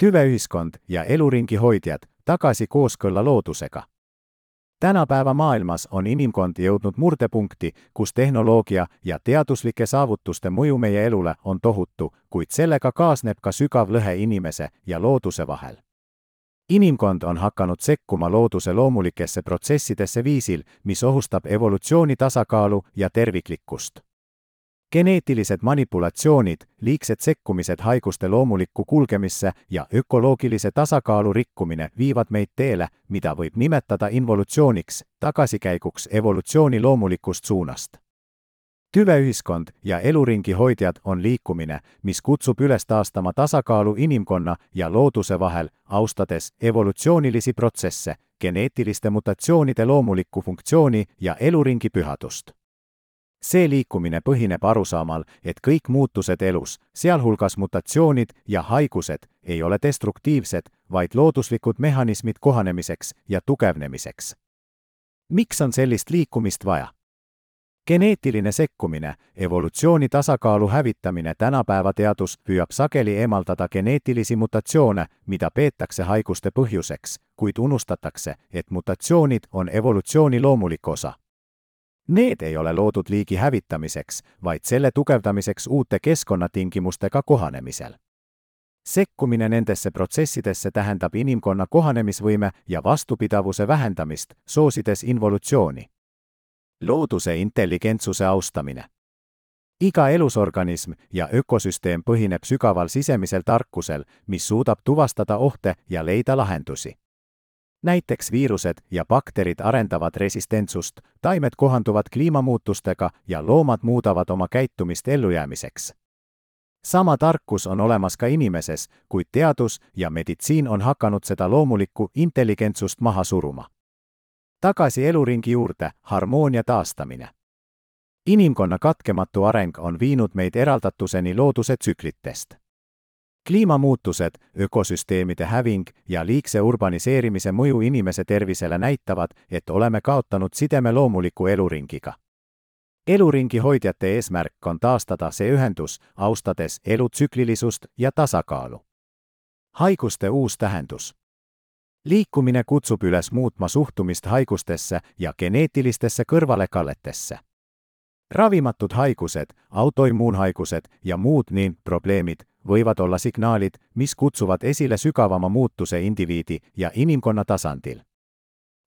Tüveühiskond ja eluringi hoidjad tagasi kooskõlla loodusega. Tänapäeva maailmas on inimkond jõudnud murdepunkti, kus tehnoloogia ja teaduslike saavutuste mõju meie elule on tohutu, kuid sellega kaasneb ka sügav lõhe inimese ja looduse vahel. Inimkond on hakanud sekkuma looduse loomulikesse protsessidesse viisil, mis ohustab evolutsiooni tasakaalu ja terviklikkust. Geneetilised manipulatsioonid, liigsed sekkumised haiguste loomulikku kulgemisse ja ökoloogilise tasakaalu rikkumine viivad meid teele, mida võib nimetada involutsiooniks, tagasikäiguks evolutsiooni loomulikust suunast. Tüveühiskond ja eluringi hoidjad on liikumine, mis kutsub üles taastama tasakaalu inimkonna ja looduse vahel, austades evolutsioonilisi protsesse, geneetiliste mutatsioonide loomulikku funktsiooni ja eluringi pühadust. See liikumine põhineb arusaamal, et kõik muutused elus, sealhulgas mutatsioonid ja haigused, ei ole destruktiivsed, vaid looduslikud mehhanismid kohanemiseks ja tugevnemiseks. Miks on sellist liikumist vaja? Geneetiline sekkumine, evolutsiooni tasakaalu hävitamine. Tänapäeva teadus püüab sageli eemaldada geneetilisi mutatsioone, mida peetakse haiguste põhjuseks, kuid unustatakse, et mutatsioonid on evolutsiooni loomulik osa. Need ei ole loodud liigi hävitamiseks, vaid selle tugevdamiseks uute keskkonnatingimustega kohanemisel. Sekkumine nendesse protsessidesse tähendab inimkonna kohanemisvõime ja vastupidavuse vähendamist, soosides involutsiooni. Looduse intelligentsuse austamine. Iga elusorganism ja ökosüsteem põhineb sügaval sisemisel tarkusel, mis suudab tuvastada ohte ja leida lahendusi. Näiteks viirused ja bakterid arendavad resistentsust, taimed kohanduvad kliimamuutustega ja loomad muudavad oma käitumist ellujäämiseks. Sama tarkus on olemas ka inimeses, kuid teadus ja meditsiin on hakanud seda loomulikku intelligentsust maha suruma. Tagasi eluringi juurde, harmoonia taastamine. Inimkonna katkematu areng on viinud meid eraldatuseni looduse tsüklitest. Kliimamuutused, ökosüsteemide häving ja liigse urbaniseerimise mõju inimese tervisele näitavad, et oleme kaotanud sideme loomuliku eluringiga. Eluringi hoidjate eesmärk on taastada see ühendus, austades elu tsüklilisust ja tasakaalu. Haiguste uus tähendus. Liikumine kutsub üles muutma suhtumist haigustesse ja geneetilistesse kõrvalekalletesse. Ravimatud haigused, autoimmuunhaigused ja muud probleemid võivad olla signaalid, mis kutsuvad esile sügavama muutuse indiviidi ja inimkonna tasandil.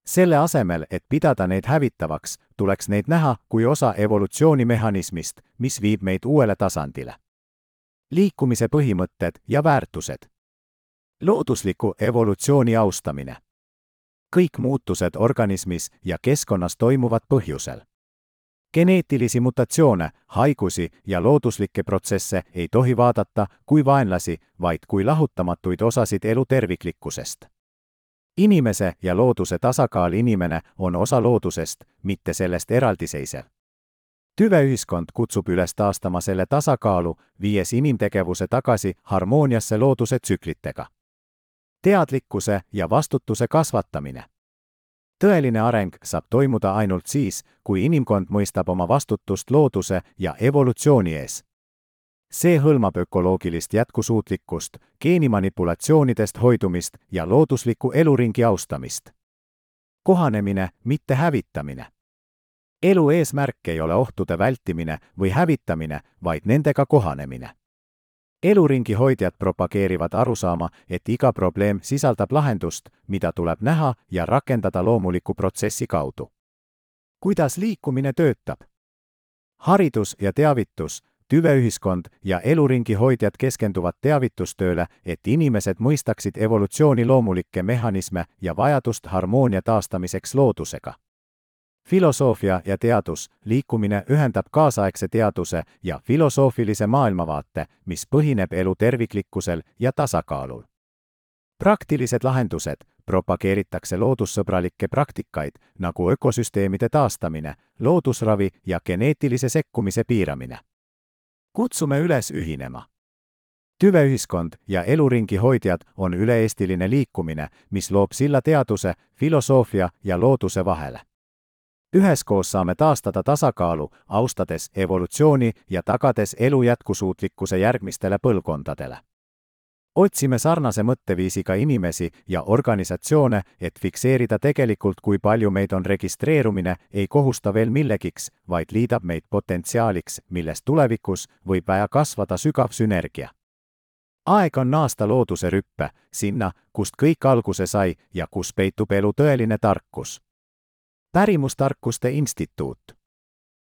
Selle asemel, et pidada neid hävitavaks, tuleks neid näha kui osa evolutsioonimehhanismist, mis viib meid uuele tasandile. Liikumise põhimõtted ja väärtused. Loodusliku evolutsiooni austamine. Kõik muutused organismis ja keskkonnas toimuvad põhjusel. Geneetilisi mutatsioone, haigusi ja looduslikke protsesse ei tohi vaadata kui vaenlasi, vaid kui lahutamatuid osasid elu terviklikkusest. Inimese ja looduse tasakaal. Inimene on osa loodusest, mitte sellest eraldiseisev. Tüveühiskond kutsub üles taastama selle tasakaalu, viies inimtegevuse tagasi harmooniasse looduse tsüklitega. Teadlikkuse ja vastutuse kasvatamine. Tõeline areng saab toimuda ainult siis, kui inimkond mõistab oma vastutust looduse ja evolutsiooni ees. See hõlmab ökoloogilist jätkusuutlikkust, geenimanipulatsioonidest hoidumist ja loodusliku eluringi austamist. Kohanemine, mitte hävitamine. Elu eesmärk ei ole ohtude vältimine või hävitamine, vaid nendega kohanemine. Eluringi hoidjad propageerivad arusaama, et iga probleem sisaldab lahendust, mida tuleb näha ja rakendada loomuliku protsessi kaudu. Kuidas liikumine töötab? Haridus ja teavitus. Tüveühiskond ja eluringi hoidjad keskenduvad teavitustööle, et inimesed mõistaksid evolutsiooni loomulikke mehhanisme ja vajadust harmoonia taastamiseks loodusega. Filosoofia ja teadus. Liikumine ühendab kaasaegse teaduse ja filosoofilise maailmavaate, mis põhineb elu terviklikkusel ja tasakaalul. Praktilised lahendused. Propageeritakse loodussõbralikke praktikaid, nagu ökosüsteemide taastamine, loodusravi ja geneetilise sekkumise piiramine. Kutsume üles ühinema. Tüveühiskond ja eluringi hoidjad on üle-eestiline liikumine, mis loob silla teaduse, filosoofia ja looduse vahele. Üheskoos saame taastada tasakaalu, austades evolutsiooni ja tagades elu jätkusuutlikkuse järgmistele põlvkondadele. Otsime sarnase mõtteviisiga inimesi ja organisatsioone, et fikseerida tegelikult, kui palju meid on registreerumine, ei kohusta veel millegiks, vaid liidab meid potentsiaaliks, millest tulevikus võib vaja kasvada sügav sünergia. Aeg on naasta looduse rüppe, sinna, kust kõik alguse sai ja kus peitub elu tõeline tarkus. Pärimustarkuste instituut.